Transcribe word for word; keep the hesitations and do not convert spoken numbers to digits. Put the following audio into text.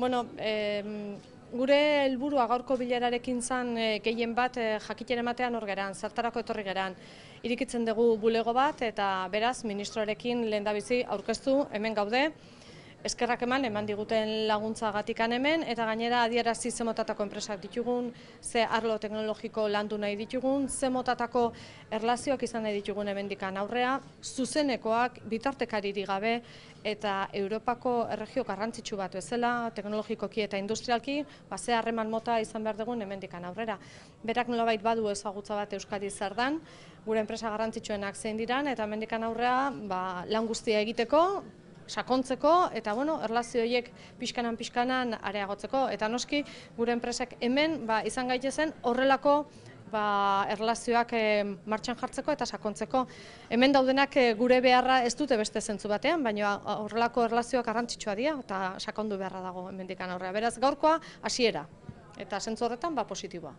Bueno, e, gure helburua gaurko bilerarekin zan e, gehien bat e, jakitera ematean hor geran, zertarako etorri geran. Irikitzen dugu bulego bat eta beraz ministroarekin lehendabizi aurkeztu hemen gaude. Eskerrak eman, eman diguten laguntzagatik hemen, eta gainera adierazi ze motatako enpresak ditugun, ze arlo teknologiko landu nahi ditugun, ze motatako erlazioak izan nahi ditugun hemendikan aurrea, zuzenekoak, bitartekaririk gabe, eta Europako erregio garrantzitsu bat bezala, teknologikoki eta industrialki, ba, ze harreman mota izan behar dugun hemendikan aurrera. Berak nolabait badu ezagutza bat Euskadi zer dan, gure enpresa garrantzitsuenak zein diran, eta hemendikan aurrea ba, lan guztia egiteko, sakontzeko eta bueno, erlazio horiek pixkanan pixkanan areagotzeko eta noski gure enpresak hemen ba, izan gaitezen horrelako ba, erlazioak e, martxan jartzeko eta sakontzeko. Hemen daudenak e, gure beharra ez dute beste zentzu batean, baina horrelako erlazioak garrantzitsua dira eta sakondu beharra dago hemendikan aurrea. Beraz gaurkoa hasiera eta zentzu horretan ba, positiboa.